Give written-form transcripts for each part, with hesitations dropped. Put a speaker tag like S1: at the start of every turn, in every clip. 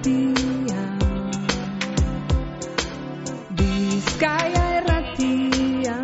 S1: irratia, Bizkaia irratia.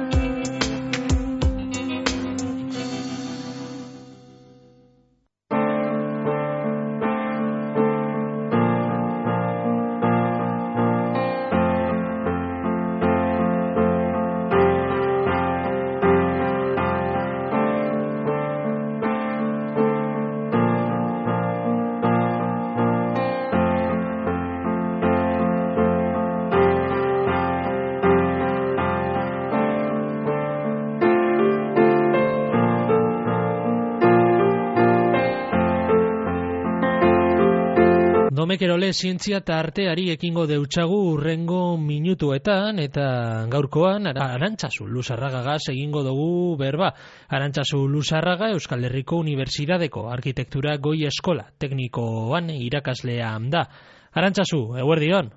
S2: Domekerole zientzia eta arteari ekingo deutsagu urrengo minutuetan eta gaurkoan Arantzazu Luzarragagaz egingo dugu berba. Arantzazu Luzarraga Euskal Herriko Unibertsitateko Arkitektura Goi Eskola Teknikoan irakaslea da. Arantzazu, eguerdion?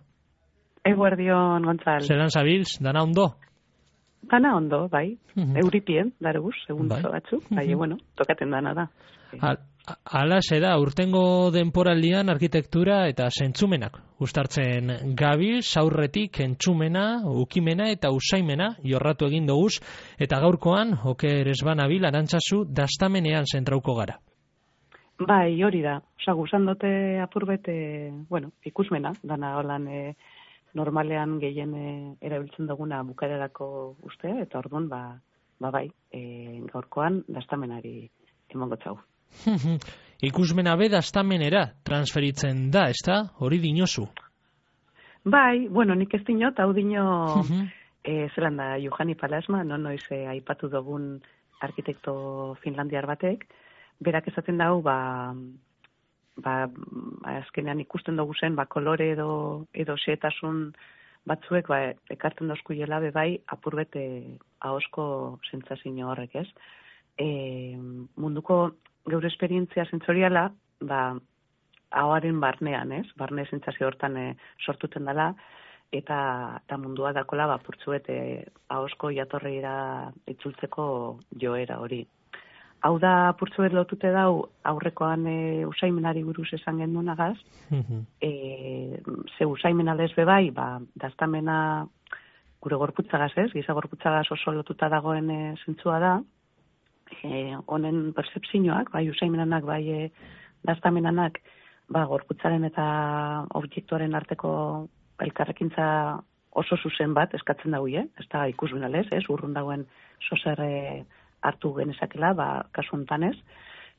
S3: Eguerdion, Gontzal.
S2: Zeran zabiltz, dana ondo?
S3: Dana ondo, bai. Euripien, darebuz, egun batzuk. Bai, bueno, tokaten dana da.
S2: Hala da, urtengo denporaldian arkitektura eta zentzumenak uztartzen gabiz, aurretik entzumena, ukimena eta usaimena jorratu egin doguz, eta gaurkoan, oker esbanabil, Arantzazu, dastamenean zentrauko gara.
S3: Bai, hori da. Osa, guzan dote apurbete, ikusmena, dana holan normalean gehien erabiltzen duguna bukarerako uste, eta orduan, bai, gaurkoan dastamenari emongo txau.
S2: Ikusmena be dastamenera transferitzen da, ezta? Hori dinozu?
S3: Bai, nik ez dinot, hau dino zelan da Juhani Palasma, noiz aipatu dugun arkitekto finlandiar batek, berak esaten dau, azkenean ikusten dugu zen, kolore edo xeetasun batzuek, ekartzen dauzkuiela bai, apurbete ahosko sentsazio horrek, ez? Munduko geure esperientzia sentsoriala, ahoaren barnean, ez? Barne sentsazio hortan sortuten dela, eta mundua dakola, purtzuet ahosko jatorreira itzultzeko joera hori. Hau da, purtzuet lotute dau, aurrekoan usaimenari buruz esan gendunagaz, ze usaimena lezbe bai, daztamena gure gorputzagaz ez, giza gorputzagaz oso lotuta dagoen zentzua da, honen percepzioak, bai usaimenanak, bai daztamenanak, gorputzaren eta objektuaren arteko elkarrekintza oso zuzen bat eskatzen daue, ez da ikusmenalez, ez, urrun dagoen sozer hartu genezakela, kasu hontan ez,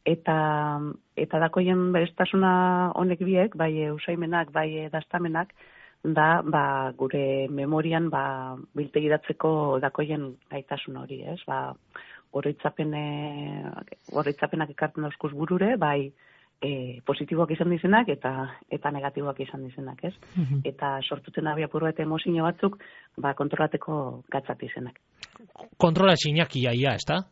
S3: eta dakoien bereztasuna honek biek, bai usaimenak, bai daztamenak, da gure memorian biltegiratzeko dakoien gaitasun hori, ez, oroitzapenak ekartzen dauzkuz burure, bai positiboak izan dizenak eta negatiboak izan dizenak, ez? Eta sortuten abia purbete emozio batzuk, kontrolateko gatzat izenak.
S2: Kontrola txinak ia, ez da?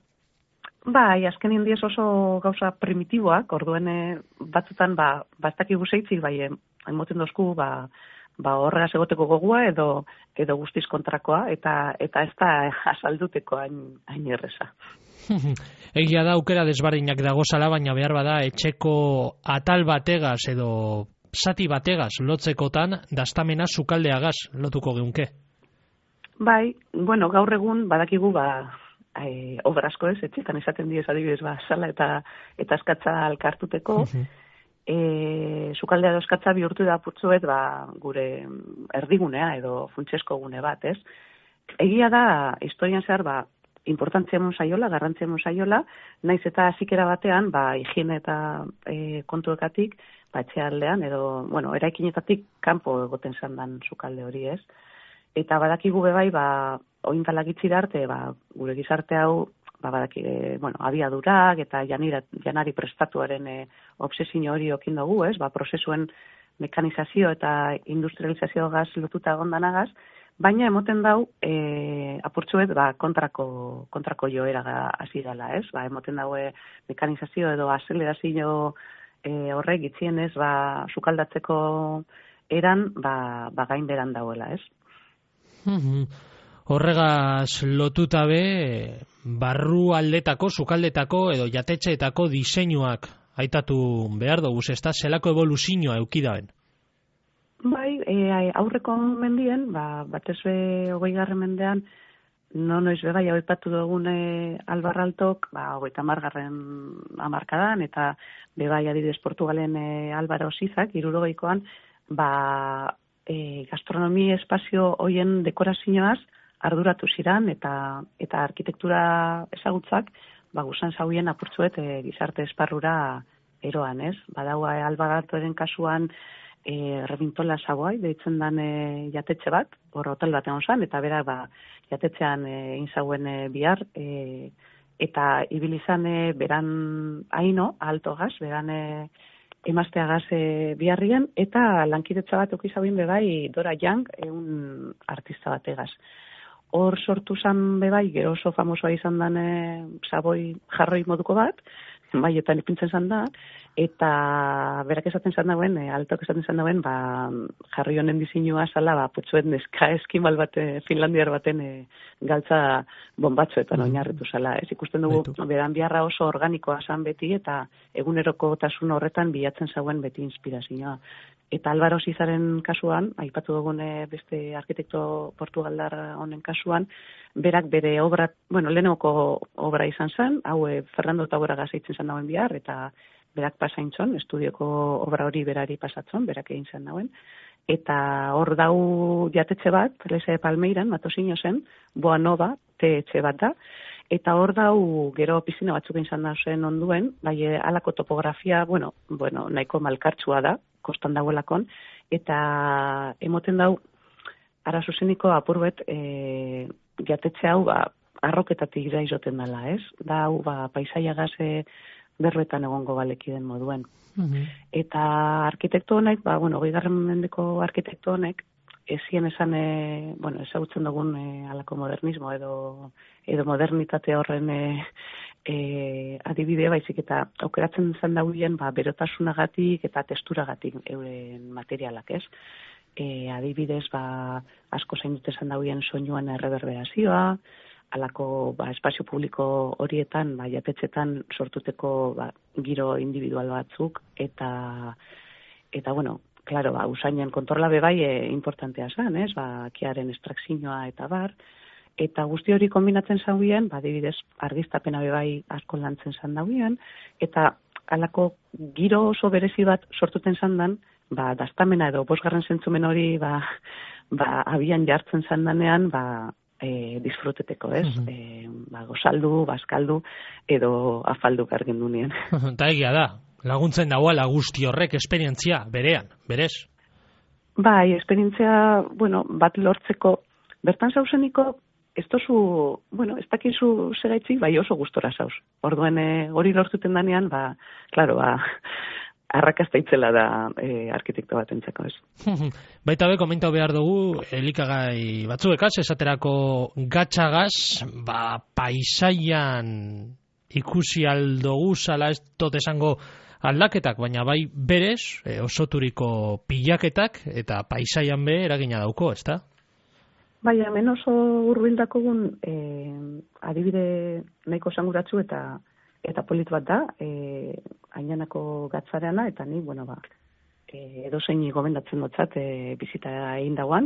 S3: Bai, azken indiez oso gauza primitiboak, orduen batzutan, bastakigu zeitzik, bai, emoten dozku, horregaz egoteko gogua edo guztiz kontrakoa, eta ez da azalduteko hain erreza.
S2: Egia da aukera desbardinak dagozala, baina behar bada etxeko atal bategaz edo zati bategaz lotzekotan daztamena sukaldeagaz lotuko geunke.
S3: Bai, gaur egun badakigu obrazko ez, etxetan esaten diez adibidez sala eta eskatza alkartuteko, sukaldea eskatza bihurtu da putzuet gure erdigunea edo funtsesko gune bat, ez? Egia da, historian zehar, importantzia mon saiola, garrantzia mon saiola, naiz eta zikera batean, higiene eta kontuekatik, etxealdean, edo, eraikinetatik kanpo egoten zandan sukalde hori, ez? Eta badakigu bebai, oindalak itxira arte, gure gizarte hau, abiadurak eta janari prestatuaren obsesio hori okin dugu, ez? Prozesuen mekanizazio eta industrializazio gaz lotuta egondanagaz, baina emoten dau, apurtzuet, kontrako joera hasi dela, ez? Emoten daue mekanizazio edo azelerazio horrek itzienez, sukaldatzeko eran, gain beran dauela, ez?
S2: Horregaz lotuta be, barru aldetako, sukaldetako edo jatetxeetako diseinuak aitatu behar dugu, ez da zelako evoluzioa eukidaben?
S3: Bai, aurreko mendien, batez be 20. mendean, noiz bai aipatu dugun Albarraltok, 30. hamarkadan, eta bai adibidez Portugalen Álvaro Sizak, 60koan, gastronomi espazio hoien dekorazioaz arduratu ziran, eta arkitektura ezagutzak, gusan zauien apurtzuet gizarte esparrura eroan, ez? Badaua Albarraltoren kasuan, Rebintola Sagoai, deitzen dan jatetxe bat, hor hotel bat egon zan, eta berak jatetxean inzauen bihar, eta ibilizan beran haino, alto gaz, beran emazteagaz biharrien, eta lankidetza bat okizabin bebai Dora Young, un artista bategaz. Hor sortu zan bebai, gero oso famosoa izan dan Saboi jarroi moduko bat, maietan ipintzen zan da, eta berak esaten zan dauen, altok esaten zan dauen, jarri honen diseinua zala, potxoet neska eskimal bat, Finlandiar baten galtza bombatxoetan oinarritu zala. Ez ikusten dugu, beran biharra oso organikoa zan beti, eta eguneroko tasun horretan bilatzen zauen beti inspirazioa. Eta Álvaro Sizaren kasuan, aipatu dugun beste arkitekto portugaldar honen kasuan, berak bere obra, lehenoko obra izan zen, hau Fernando Tauera gazeitzen zen dauen bihar, eta berak pasaintzon, estudioko obra hori berari pasatzon, berak egin zen dauen, eta hor dau jatetxe bat, Lese Palmeiran, Matosino zen, Boa Nova, etxe bat da, eta hor dau gero pizina batzuk izan da zen onduen, alako topografia, nahiko malkartsua da, kostan dagoelakon, eta emoten dau, ara zuzeniko apurbet, jatetxe hau, arroketatik ira izoten dela, ez? Da hau, paisaiagaz berbetan egongo balekiden moduen. Eta arkitekto honek, 20. mendeko arkitekto honek, ezien esan, ezagutzen dugun alako modernismo edo modernitate horren adibide baizik eta aukeratzen zen dauen berotasunagatik eta testuragatik euren materialak, ez? Adibidez, asko zain dute zen dauen soinuan erreberberazioa, alako espazio publiko horietan, jatetxetan sortuteko giro individual batzuk, eta claro, usainen kontrola bebai importantea zen, ez? Kiaren estrakzioa eta bar, eta guzti hori kombinatzen zauen, adibidez, argiztapena bebai asko lantzen zan dauen, eta alako giro oso berezi bat sortuten zandan, daztamena edo 5. zentzumen hori abian jartzen zandanean, disfruteteko, ez? Gozaldu, bazkaldu, edo afaldu gargen dunien.
S2: Eta egia da, laguntzen dagoela guzti horrek esperientzia, berean, berez?
S3: Bai, esperientzia, bat lortzeko, bertan zauzeniko, ez tozu, ez dakizu segaitzik, oso gustora zauz. Orduen hori lortuten danean, klaro, arrakasta itzela da arkitekto bat entzako, ez.
S2: Baita be, komentau behar dugu, elikagai batzuekaz, esaterako gatxagaz, paisaian ikusi aldogu zala ez tot esango aldaketak, baina bai berez, osoturiko pilaketak, eta paisaian be eragina dauko, ez da?
S3: Bai, hemen oso hurbildakogun adibide nahiko esanguratsu eta polit bat da, Ainanako gatzareana, eta ni, edozein gomendatzen dutzat bizita egin dagoan,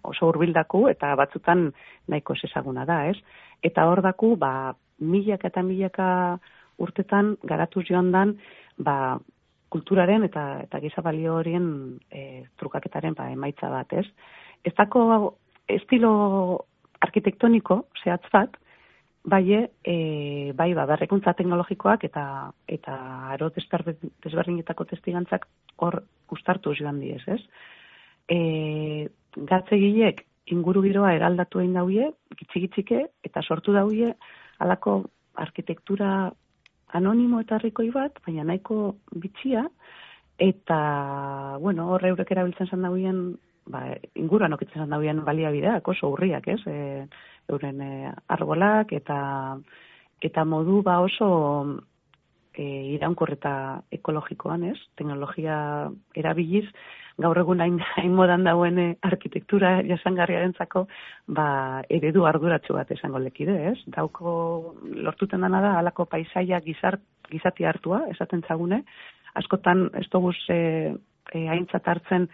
S3: oso hurbildaku eta batzutan nahiko ezaguna da, ez? Eta hor daku, milaka eta milaka urtetan garatu joan dan, kulturaren eta gizabalio horien trukaketaren emaitza bat, ez? Ez dako estilo arkitektoniko, zehatz bat, bai, berrikuntza teknologikoak eta aro desberdinetako testigantzak hor ustartu joan diez, ez? Gatzegilek inguru giroa eraldatu egin dauie, gitxike, eta sortu dauie alako arkitektura anonimo eta rikoi bat, baina nahiko bitxia, eta, hor eurek erabiltzen zan dauien, inguruan okitzen zan dauien baliabideak, oso urriak, ez? Euren arbolak eta modu oso iraunkorr eta ekologikoan, ez? Teknologia erabiliz, gaur egun hain modan dauen arkitektura jasangarriarentzako eredu arduratsu bat esango lekide, ez? Dauko lortuten dana da halako paisaia gizati hartua, esaten zagune, askotan ez doguz aintzat hartzen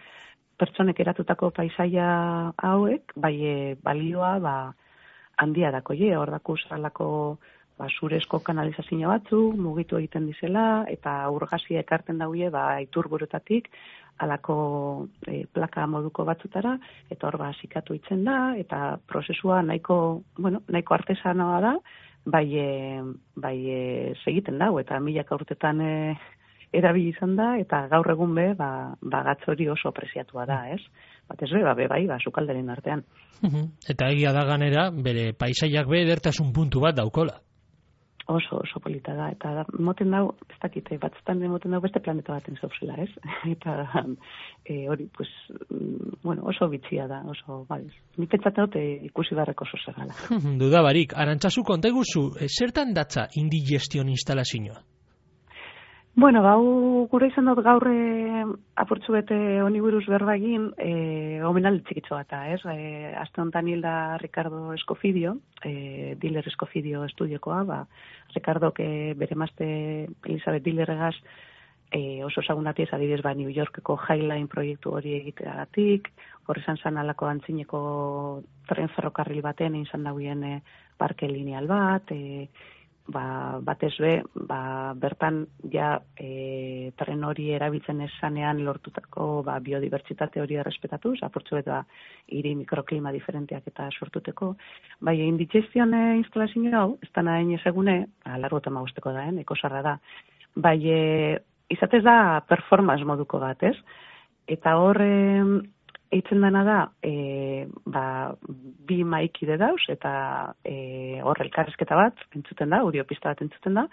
S3: pertsonek eratutako paisaia hauek, bai balioa handia dako hor dakuz alako zurezko kanalizazio batzu, mugitu egiten dizela, eta urgazia ekarten daude iturburutatik alako plaka moduko batzutara, eta hor zikatu itzen da, eta prozesua nahiko artesanoa da, bai segiten dago, eta milaka urtetan erabili izan da, eta gaur egun gatz hori oso preziatua da, ez? Batez bai, sukalderen artean.
S2: Eta egia da ganera, bere paisaiak edertasun puntu bat daukola.
S3: Oso polita da, eta moten dau, ez dakite, batzutan moten dau beste planeta baten zauzela, ez? Eta hori, oso bitxia da, oso, ni pentsatzen dut ikusi barreko oso zegala.
S2: Dudabarik, Arantzazu konta eguzu, zertan datza indigestion instalazioa?
S3: Bueno, gure izan dut gaur apurtzu bete honi buruz berba egin, omenaldi txikitxo bata, ez? Aste honetan hilda Ricardo Escofidio, Diller Escofidio estudiokoa, Ricardok bere emazte Elizabeth Dillerregaz oso ezagunatiez adibidez New Yorkeko Highline proiektu hori egiteagatik, hor izan zan alako antzineko tren ferrokarril baten izan dauen parke lineal bat, batez bertan ja tren hori erabiltzen esanean lortutako biodibertsitate hori errespetatuz, apurtzuet hiri mikroklima diferenteak eta sortuteko. Bai, indigestion instalazio hau, ez da nahi ezagune, largo tema guzteko da, ekosarra da. Bai, izatez da performance moduko bat, ez? Eta hor eitzen dena da, bi maikide dauz, eta hor elkarrezketa bat entzuten da, audiopista bat entzuten da,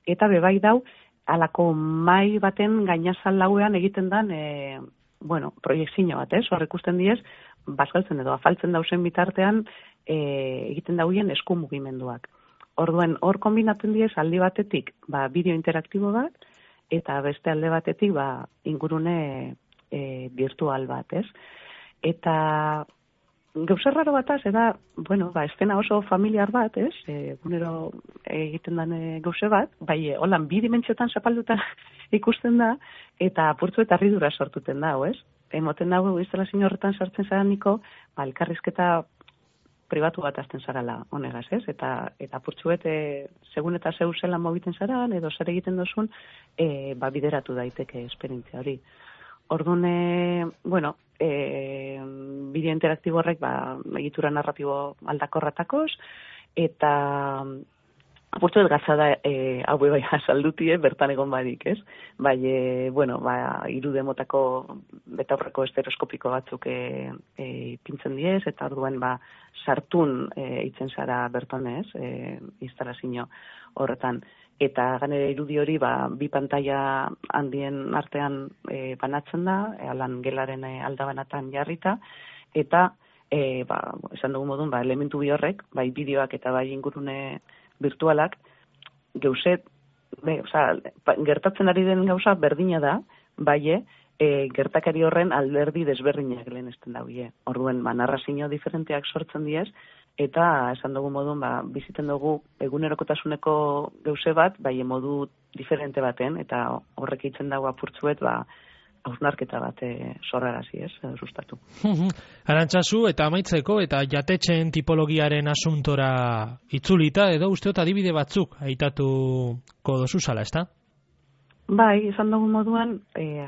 S3: eta bebai dau, alako mai baten gainazal lauean egiten dan, proiektzio bat, ez? Hor ikusten diez, bazkaltzen edo afaltzen dauzen bitartean, egiten dauen esku mugimenduak. Orduen, hor kombinatzen diez, aldi batetik, bideo interaktibo bat, eta beste alde batetik, ingurune virtual bat, ez? Eta gauza raro bataz, estena oso familiar bat, ez? Gunero egiten den gauze bat, holan bi dimentsiotan zapalduta ikusten da, eta apurtzu eta harridura sortuten da, ez? Emoten dago, instalazio horretan sartzen zara niko, elkarrizketa pribatu bat azten zarala honegaz, ez? Eta apurtzuet, segun eta zeu zelan mobiten zaran, edo zer egiten dozun, bideratu daiteke esperientzia hori. Orduan, bideo interaktibo horrek egitura narratibo aldakorratakoz, eta apurtzuet gatzada hau saldutie bertan egon badik, ez? Irude motako betaurreko estereoskopiko batzuk pintzen diez, eta orduan sartun itzen zara bertan, ez? Instalazio horretan. Eta ganera irudi hori bi pantalla handien artean banatzen da, alan gelaren aldabanatan jarrita, eta esan dugu modun, elementu bi horrek, bai bideoak eta bai ingurune virtualak, geuzet, gertatzen ari den gauza berdina da, gertakari horren alderdi desberdinak lehenesten daude. Orduen, narrazio diferenteak sortzen diez, eta esan dugu modun, biziten dugu egunerokotasuneko gauze bat, modu diferente baten, eta horrek itzen dago apurtzuet, hausnarketa bat sorrarazi, ez, sustatu.
S2: Arantzazu, eta amaitzeko, eta jatetxeen tipologiaren asuntora itzulita, edo usteot adibide batzuk aitatuko dozu zala, ezta?
S3: Bai, esan dugu moduan,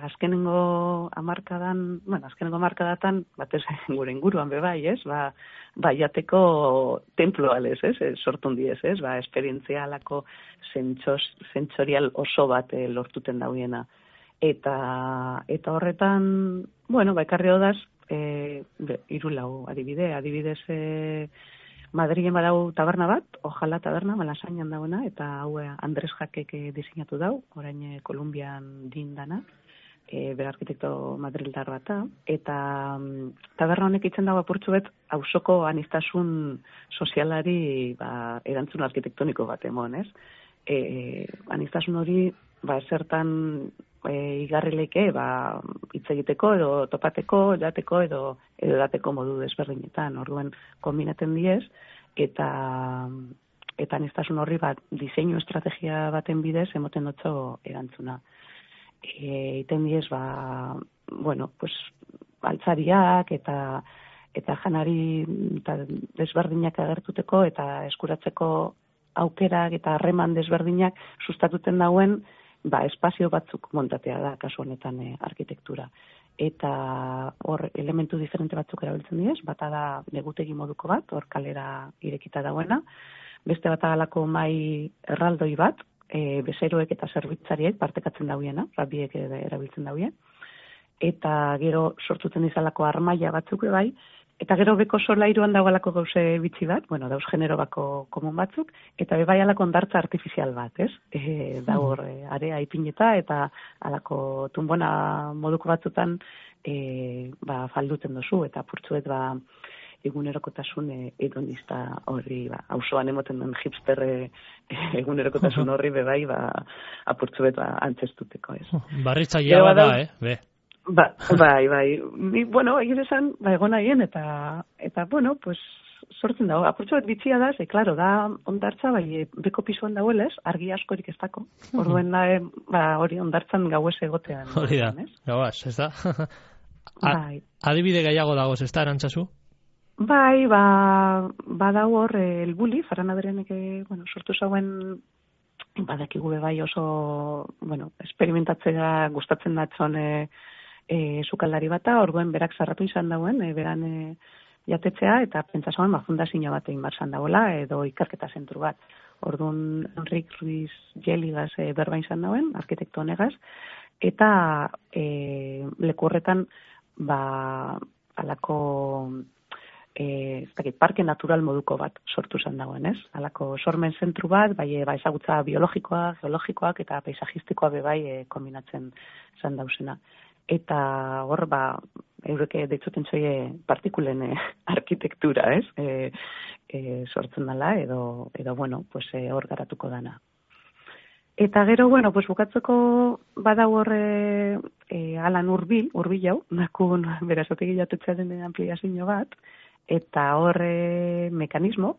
S3: azkenengo markadatan, batez gure inguruan bebai, ez? Jateko templo alez, ez? Sortun diez, ez? Esperientzialako sentsorial oso bat lortuten dauiena. Eta horretan, ekarri hodaz, irulau adibidez, Madrilen badau taberna bat, Ojala taberna, Malasainan dagoena, eta hau Andres Jakek diseinatu dau, orain Kolumbian dindana, bere arkitekto madrildar bata, eta taberna honek itzen dago apurtzuet, auzoko anistasun sozialari erantzun arkitektoniko bat emon, ez? Anistasun hori, zertan igarrileke, hitz egiteko, edo topateko, jateko, edo dateko modu desberdinetan. Orduan, kombinaten diez, eta anistasun horri diseinu estrategia baten bidez, emoten dutxo erantzuna. Iten diez, altzariak eta janari eta desberdinak agertuteko eta eskuratzeko aukerak eta harreman desberdinak sustatuten dauen espazio batzuk montatea da kasu honetan arkitektura. Eta hor elementu diferente batzuk erabiltzen diez, bata da negutegi moduko bat, hor kalera irekita dauena, beste bat agalako mai erraldoi bat, bezeroek eta zerbitzariek partekatzen dauiena, biek erabiltzen dauien, eta gero sortzuten izalako armaia batzuk bai, eta gero beko solairuan dagoelako gauze bitxi bat, dauz genero bako komun batzuk, eta bebai alako ondartza artifizial bat, ez? Daur area ipineta eta alako tunbona moduko batzutan falduten dozu, eta purtzuet egunerokotasun hedonista horri, auzoan emoten den hipster egunerokotasun horri bebai, apurtzuet antzestuteko, ez?
S2: Barritzailea bada, be?
S3: Bai. Egin esan, egon nahien, eta pues, sortzen dago. Apurtxo bat bitxia da, klaro, da ondartza, beko pisuan dagoelez, argi askorik ez dako. Orduen hori ondartzan gauez egotean.
S2: Hori da, gauaz, ez da? Adibide gehiago dagoz, ez da, Arantzazu?
S3: Bai, badago hor, elbuli, Farana Berenek, sortu zauen, badakigu bai oso, esperimentatzea gustatzen datzon sukaldari bata, orduan berak zarratu izan dauen, beran jatetzea, eta pentsa zauen fundazio bat egin barzan dagoela, edo ikerketa zentru bat. Orduan Enrik Ruiz Jeligaz berba izan dauen, arkitekto honegaz, eta leku horretan, alako parke natural moduko bat sortu zen dagoen, ez? Alako sormen zentru bat, ezagutza biologikoak, geologikoak eta paisajistikoa bebai kombinatzen zen dauzena. Eta hor, eureke deitzuten zoie partikulen arkitektura, ez? Sortzen dela, edo hor garatuko dana. Eta gero, bukatzeko badau horre Alan Urbil jau, nakun berazotegi jatetzearen ampliazio bat, eta horre mekanismo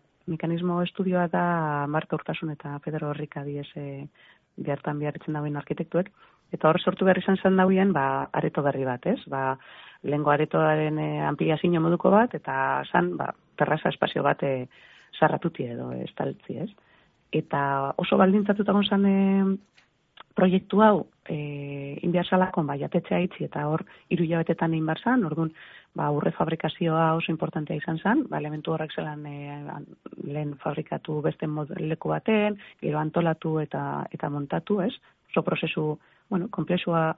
S3: estudioa da Marta Urtasun eta Pedro Horrika diez behartan beharritzen dauen arkitektuek, eta hor sortu behar izan zen dauen, areto berri bat, ez? Lehengo aretoaren ampliazio moduko bat, eta zan, terraza espazio bat zarratuti edo estaltzi, ez? Eta oso baldintzatuta gonzan proiektu hau inbiarzalakon jatetzea itzi eta hor 3 hilabetetan egin behar zan, orduan urre fabrikazioa oso importantea izan zen, elementu horrek zelan lehen fabrikatu beste leku baten, gero antolatu eta montatu, ez? Oso prozesu, komplexua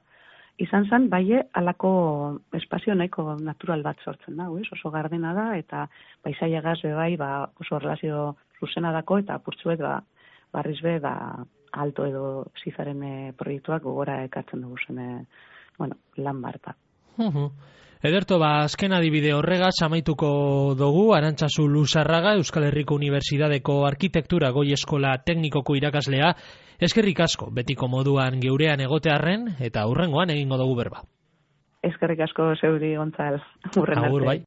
S3: izan zen, alako espazio nahiko natural bat sortzen da, oso gardena da, eta paisaiagaz bebai oso relazio zuzena dako, eta apurtzuet barriz be, alto edo zizaren proiektuak gogora ekartzen dugu zen, lan barta.
S2: Ederto, azken adibide horregaz amaituko dugu, Arantzazu Luzarraga, Euskal Herriko Unibertsitateko Arkitektura Goi Eskola Teknikoko irakaslea, eskerrik asko, betiko moduan geurean egotearren, eta hurrengoan egingo dugu berba.
S3: Eskerrik asko zeuri, Gontzal, hurren arte.
S2: Agur, bai.